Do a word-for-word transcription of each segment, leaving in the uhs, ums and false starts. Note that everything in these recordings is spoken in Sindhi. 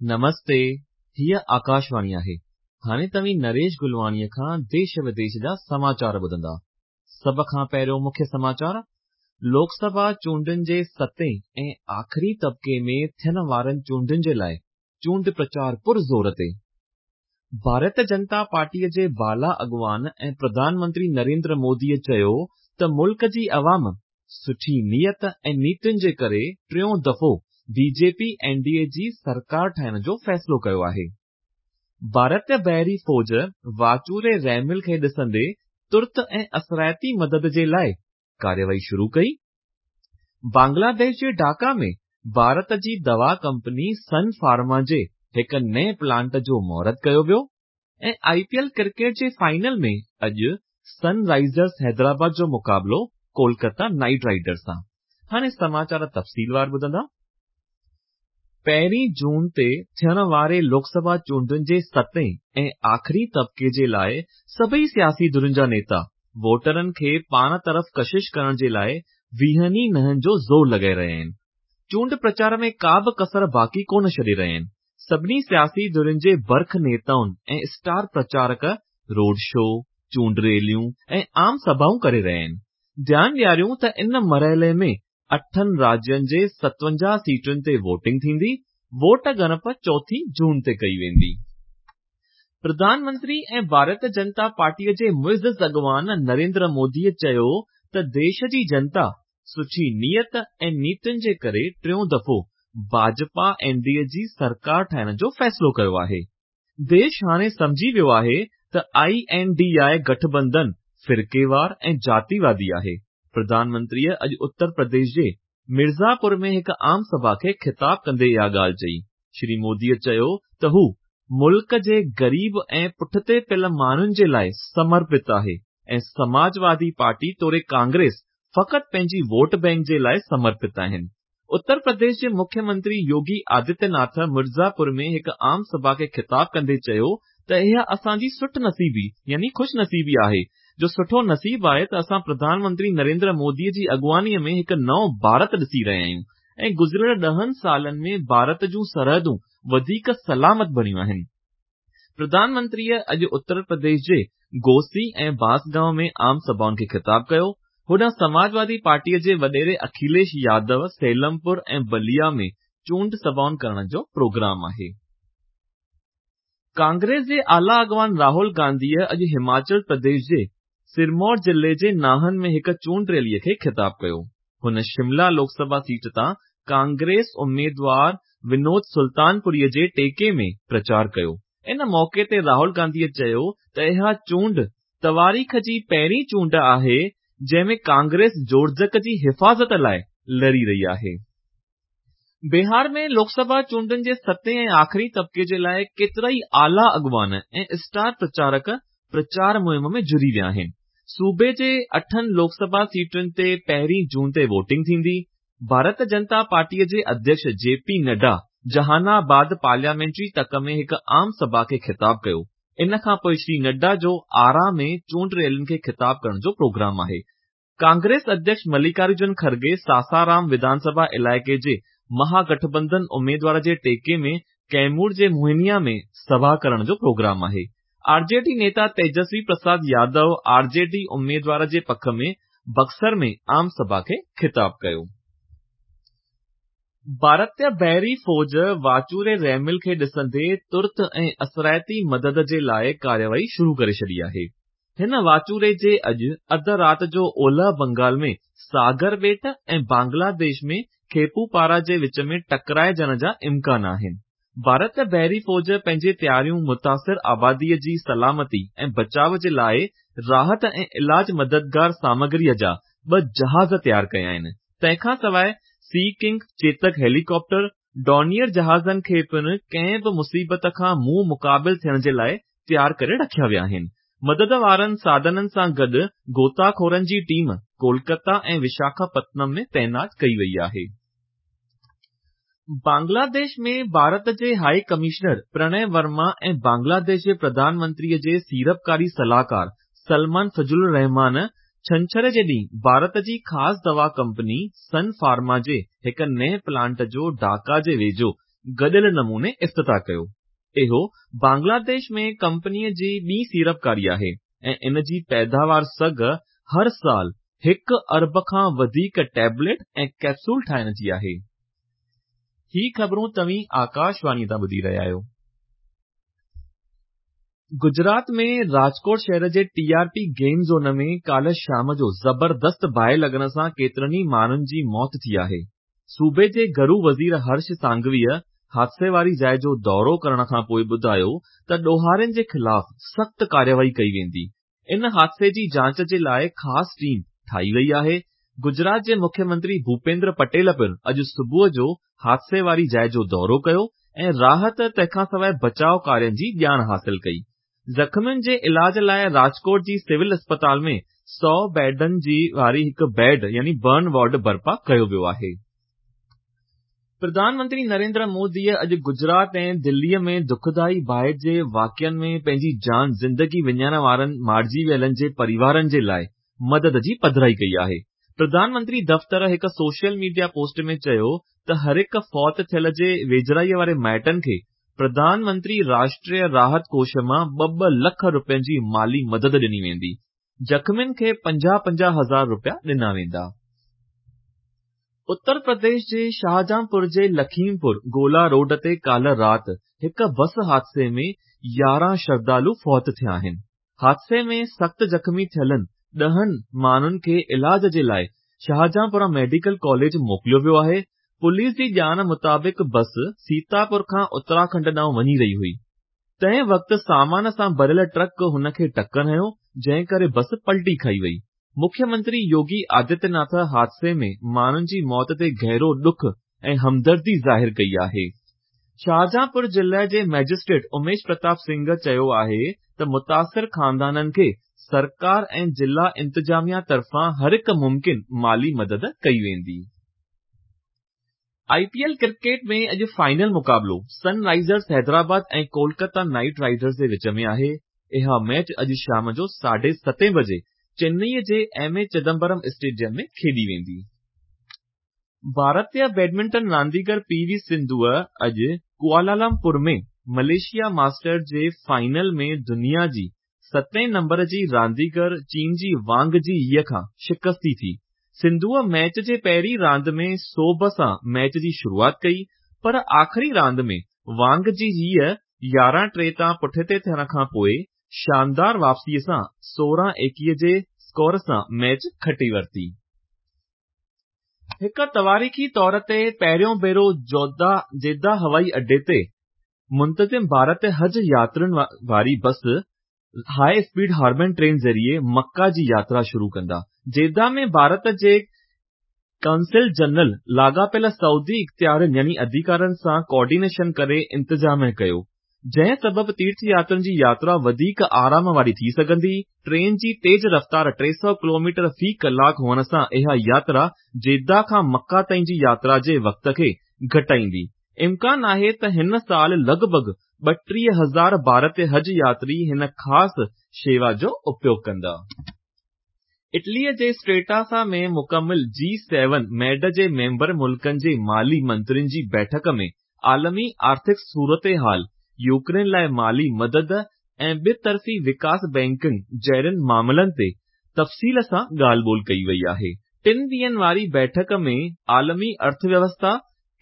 نمستي، هيء آڪاشواڻي آهي. هاڻي توهين نريش گلواڻيء کان ديش وديش جا سماچار ٻڌندا. سڀ کان پهريون مکيه سماچار، لوڪ سڀا چونڊن جي ستين ۽ آخري طبقي ۾ ٿيڻ وارن چونڊن جي لاءِ چونڊ پرچار پرزور تي. ڀارت جنتا پارٽيءَ جي بالا اڳواڻ ۽ پرڌان منتري نريندر موديءَ چيو ته ملڪ جي عوام سٺي نيت ۽ نيتين جي ڪري ٽيون دفعو B J P N D A جي سرڪار ٺاهڻ جو فيصلو ڪيو آهي. ڀارتي بحري فوج واچوڙي رحمل کي ڏسندي ترت ۽ اثرائتي مدد جي لاءِ ڪارروائي شروع ڪئي. بنگلاديش جي ڍاڪا ۾ ڀارت جي دوا ڪمپني سن فارما جي هڪ نئين پلانٽ جو مهورت ڪيو ويو ۽ آءِ پي ايل ڪرڪيٽ جي فائنل ۾ اڄ سن رائزرز حيدرآباد جو مقابلو ڪولڪتا نائيٽ رائيڊرز سان. هاڻي سماچار تفصيلوار ٻڌندا. پهرين جون تي ٿيڻ واري لوڪ سڀا چونڊن جي ستين ۽ آخري طبقي جي لاءِ سڀئي سياسي ڌرين جا نيتا ووٽرن کي پاڻ طرف ڪشش ڪرڻ جي لاءِ ويهن ئي ننهن جو زور لڳائي رهيا آهن. چونڊ پرچار ۾ ڪا به ڪسر باقي ڪونه ڇڏي رهيا آهن. سڀني سياسي ڌرين جي برک نيتائن ۽ اسٽار پرچارڪ روڊ شو، چونڊ ريليون ۽ عام سڀائون ڪري رهيا آهن. ڌيان ڏياريون ته ان مرحلي ۾ اٺن راجين جي ستونجاهه سيٽن تي ووٽنگ ٿيندي. ووٽ ڳڻپ چوٿين جون تي ڪئي ويندي. پرڌان منتري ۽ ڀارت جنتا پارٽيءَ جي معزز اڳواڻ نريندر موديءَ چيو ته ديش جي جنتا سٺي نيت ۽ نيتين جي ڪري ٽيون دفعو ڀاجپا اين ڊي اي جي سرڪار ٺاهڻ جو فيصلو ڪيو آهي. ديش هاڻي سمجهي ويو آهي ته I N D I Gathbandhan فرقيوار ۽ جاتيوادي آهي. پرڌان منتريءَ اڄ اتر پرديش جي مرزاپور ۾ هڪ عام سڀا کي خطاب ڪندي اها ڳالهه چئي. شري موديءَ چيو ته هو ملڪ جي غريب ۽ پٺتي پيل ماڻهن جي لاءِ سمرپت آهي ۽ سماجوادي پارٽي توڙي ڪانگريس فقط پنهنجي ووٽ بينڪ جي لاءِ سمرپت آهن. اتر پرديش جي مکيه منتري يوگي آدتيه ناٿ مرزاپور ۾ هڪ عام سڀا کي خطاب ڪندي چيو ته اها اسان جي سٺ نصيبي يعني خوش نصيبي آهي جو سٺو نصيب آهي ته اسان پرڌان منتري نريندر موديءَ جي اڳواڻيءَ ۾ هڪ نئون ڀارت ڏسي رهيا آهيون ۽ گذريل ڏهن سالن ۾ ڀارت جون سرحدون وڌيڪ سلامت بڻيون آهن. پرڌان منتريءَ اڄ اتر پرديش جي گوسي ۽ بانسگائون ۾ عام سڀائن کي خطاب ڪيو. هوڏانهن سماجوادي پارٽيءَ جي وڏيري اکليش يادو سيلمپور ۽ بليا ۾ چونڊ سڀائن ڪرڻ جو پروگرام آهي. ڪانگريس جي اعليٰ اڳواڻ راهول گانڌيءَ اڄ هماچل پرديش جي سرمور ضلعي جي ناهن ۾ هڪ چونڊ ريليءَ کي خطاب ڪيو. هن شملا لوڪ سڀا سيٽ تان ڪانگريس اميدوار ونود سلطانپوريءَ جي ٽيڪي ۾ پرچار ڪيو. ان موقعي تي راهول گانڌيءَ چيو ته اها چونڊ تواريخ جي پهرين چونڊ آهي جنهن ۾ ڪانگريس جوڙجڪ جي حفاظت لاءِ لڙي رهي آهي. بهار ۾ لوڪ سڀا چونڊن جي ستين ۽ آخري طبقي جي لاءِ ڪيترائي اعليٰ اڳواڻ ۽ اسٽار پرچارڪ پرچار مهم ۾ جڙي ويا آهن. صوبي جي اٺن لوڪ سڀا سيٽن تي پهرين جون تي ووٽنگ ٿيندي. ڀارت جنتا پارٽيءَ جي اڌيڪش جي پي نڊا جهان آباد پارليامينٽري تڪ ۾ هڪ عام سڀا کي خطاب ڪيو. ان کان پوءِ شري نڊا جو آرا ۾ چونڊ ريلين کي خطاب ڪرڻ جو پروگرام آهي. ڪانگريس اڌيڪش ملڪارجن کرگي ساسارام وڌان سڀا علائقي جي مهاگٺبنڌن اميدوار جي ٽيڪي ۾ ڪيمور جي موهنيا ۾ سڀا ڪرڻ جو پروگرام آهي. آر جي ڊي نيتا تيجسوي پرساد يادو آر جي ڊي اميدوار جي پک ۾ بڪسر ۾ عام سڀا کي خطاب ڪيو. ڀارتي بحري فوج واچوڙي رحمل کي ڏسندي ترت ۽ اثرائتي مدد جي لاءِ ڪارروائي شروع ڪري ڇڏي آهي. هن واچوڙي جي اڄ اڌ رات جو اولهه بنگال ۾ ساگر ٻيٽ ۽ بنگلاديش ۾ کيپوپارا جي وچ ۾ ٽڪرائجڻ جا امڪان آهن. ڀارت بحري فوج پنهنجي تياريون متاثر آباديءَ جي سلامتي ۽ بچاءُ جي لاءِ راحت ۽ علاج مددگار سامگريءَ جا ٻه جهاز تيار ڪيا آهن. تنهن کان سواءِ سي ڪنگ، چيتڪ هيليڪاپٽر، ڊورنيئر جهازن کي پڻ ڪنهن به مصيبت کان منهن مقابل ٿيڻ جي لاءِ تيار ڪري رکيا ويا آهن. مدد وارن ساڌنن سان گڏ غوطاخورن جي ٽيم ڪولڪتا ۽ وشاکاپتنم ۾ تعينات ڪئي وئي آهي. بنگلاديش ۾ ڀارت جي هائي ڪمشنر پرڻي ورما ۽ بنگلاديش جي پرڌان منتريءَ جي سيڙپڪاري صلاحڪار سلمان فضل الرحمان ڇنڇر جي ڏينهن ڀارت جي خاص دوا ڪمپني سن فارما جي هڪ نئين پلانٽ جو ڍاڪا جي ويجهو گڏيل نموني افتتاح ڪيو. اهو بنگلاديش ۾ ڪمپنيءَ جي ٻي سيڙپڪاري آهي ۽ ان جي پيداوار سگهه هر سال هڪ ارب کان وڌيڪ ٽيبليٽ ۽ ڪيپسول ٺاهڻ جي آهي. هي خبرون توهين آڪاشواڻي تان ٻڌي رهيا آهيو. گجرات ۾ راجڪوٽ شهر جي T R P game zone ۾ ڪالهه شام جو زبردست باهه لڳڻ سان ڪيترن ئي ماڻهن جي موت ٿي آهي. صوبي جي گهرو وزير هرش سانگويءَ حادثي واري جاءِ جو دورو ڪرڻ کان پوءِ ٻڌايو ته ڏوهارين جي خلاف سخت ڪارروائي ڪئي ويندي. ان حادثي جي جاچ جي لاءِ خاص ٽيم ٺاهي وئي آهي. گجرات جي مکيه منتري ڀوپيندر پٽيل پڻ اڄ صبح جو حادثي واري جاءِ جو دورو ڪيو ۽ راحت تنهن کان سواءِ بچاءُ ڪارين جي ڄاڻ حاصل ڪئي. زخمين جي علاج لاءِ راجڪوٽ جي سول اسپتال ۾ سؤ بيڊن جي واري هڪ بيڊ يعني برن وارڊ برپا ڪيو ويو آهي. پرڌان منتري نريندر موديءَ اڄ گجرات ۽ دليءَ ۾ دکدائي باهه جي واقعن ۾ پنهنجي جان زندگي وڃائڻ وارن مارجي ويلن جي پريوارن جي لاءِ مدد جي پڌرائي ڪئي آهي. پرڌان منتري دفتر هڪ سوشل ميڊيا پوسٽ ۾ چيو ته هر هڪ فوت ٿيل جي ويجهڙائيءَ واري مائٽن کي پرڌان منتري راشٽريه راحت ڪوش مان ٻه ٻه لک رپين جي مالي مدد ڏني ويندي. زخمين کي پنجاهه پنجاهه هزار رپيا ڏنا ويندا. اتر پرديش جي شاهجهانپور جي لکيمپور گولا روڊ تي ڪالهه رات هڪ بس حادثي ۾ يارهن شرڌالو فوت ٿيا آهن. حادثي ۾ سخت زخمي ٿيلن ڏهن ماڻهن کي علاج جي لاءِ شاهجهانپورا ميڊيڪل ڪاليج موڪليو ويو آهي. پوليس جي ڄاڻ مطابق بس سيتاپور کان اتراکنڊ ڏانهن وڃي رهي هئي. تنهن وقت سامان سان ڀريل ٽرڪ هن کي ٽڪر هنيو، جنهن ڪري بس پلٽي کائي وئي. مکيه منتري يوگي آدتيه ناٿ حادثي ۾ ماڻهن جي موت تي گهرو ڏک ۽ همدردي ظاهر ڪئي آهي. شاهجهانپور ضلعي جي مئجسٽريٽ اميش پرتاپ سنگهه چيو آهي ته متاثر خاندانن کي سرڪار ۽ ضلع انتظاميا طرفان هر هڪ ممڪن مالي مدد ڪئي ويندي. I P L cricket ۾ اڄ فائنل مقابلو سن رائزرس حيدرآباد ۽ ڪولڪتا نائيٽ رائيڊرز جي وچ ۾ آهي. اها ميچ اڄ شام جو ساڍي ستين بجي چنئي جي ايم اي چدمبرم اسٽيڊيم ۾ کيڏي ويندي. ڀارتيه بيڊمنٽن رانديگر پي وي سنڌوءَ اڄ ڪوالالمپور ۾ ملائيشيا ماسٽر جي فائنل ۾ دنيا جي ستين نمبر جي رانديگر چين جي وانگ جي يي کان شڪستي ٿي. سنڌوءَ ميچ جي پهرين راند ۾ سوڀ سان ميچ جي شروعات ڪئي، پر آخري راند ۾ وانگ جي يي يارهن ٽي تان پٺتي ٿيڻ کان پوءِ شاندار واپسيءَ سان سورهن ايڪويهه جي اسڪور سان ميچ کٽي ورتي. هڪ تواريخي طور تي پهريون ڀيرو جده هوائي اڏي تي منتظم ڀارت حج ياترين واري بس هاءِ اسپيڊ هارمن ٽرين ذريعي مڪه جي ياترا شروع ڪندا. جده ۾ ڀارت جي قونصل جنرل لاڳاپيل سعودي اختيارين يعني اڌڪارين سان ڪوآرڊينيشن ڪري انتظام ڪيو، جنهن سبب تيرٿ ياترين جي ياترا وڌيڪ آرام واري ٿي سگهندي. ٽرين جي تيز رفتار ٽي سؤ ڪلوميٽر في ڪلاڪ هئڻ سان اها ياترا جده کان مڪه تائين جي ياترا جي وقت کي گهٽائيندي. امڪان آهي ته هن سال لڳ ڀڳ ٻٽيهه هزار ڀارتيه حج ياتري هن خاص شيوا جو اپيوگ ڪندا. اٽليءَ جي اسٽريٽاسا ۾ مڪمل جي سيون ميڊ جي ميمبر ملڪن جي مالي منترين جي بيٺڪ ۾ عالمي آرٿڪ صورتحال، يوڪرين لاءِ مالي مدد ۽ ٻطرفي وڪاس بينڪنگ جهڙن معاملن تي تفصيل سان ڳالهه ٻولهه ڪئي وئي آهي. ٽن ڏينهن واري بيٺڪ ۾ عالمي ارٿويوسٿا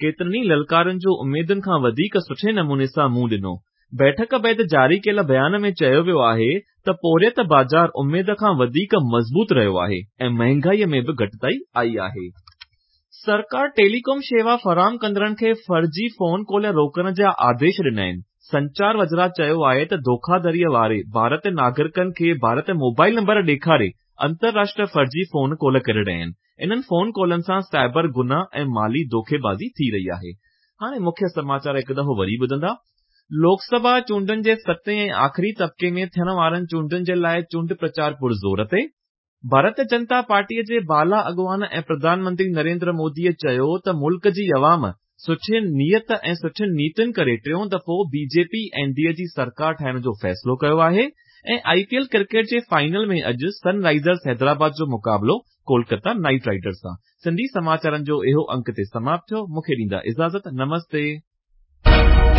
ڪيترن ئي للڪارن جو اميدن کان وڌيڪ سٺي نموني سان منهن ڏنو. بيٺڪ بعد جاري ڪيل بيان ۾ چيو ويو آهي ته پورهيت بازار اميد کان وڌيڪ مضبوط رهيو آهي ۽ مهانگائيءَ ۾ به گهٽتائي آئي آهي. سرڪار ٽيليڪام شيوا فراهم ڪندڙن کي فرضي فون ڪال روڪڻ جا آديش ڏنا آهن. سنچار وزارت چيو آهي ته ڌوکاڌڙيءَ واري ڀارتيه ناگرڪن کي ڀارتيه موبائل نمبر ڏيکاري انترراشٽريه فرضي فون ڪال ڪري رهيا آهن. انهن فون ڪالن سان سائبر گناهه ۽ مالي ڌوکيبازي ٿي رهي آهي. هاڻي مکيه سماچار هڪ دفعو وري ٻڌندا. لوڪسڀا چونڊن جي ستين ۽ آخري طبقي ۾ ٿيڻ وارن چونڊن جي لاءِ چونڊ پرچار پرزور تي. ڀارتيه جنتا پارٽيءَ جي بالا اڳواڻ ۽ پرڌان منتري نريندر موديءَ چيو ته ملڪ جي عوام سٺي نيت ۽ سٺين نيتين ڪري ٽيون دفعو B J P N D A جي سرڪار ٺاهڻ جو فيصلو ڪيو آهي ۽ I P L cricket جي فائنل ۾ اڄ سن رائزرس حيدرآباد جو مقابلو ڪولڪتا نائيٽ رائيڊرز سان. سنڌي سماچارن جو اهو انڪ تي سماپت ٿيو. مون کي ڏيندا اجازت. نمستي. آهي.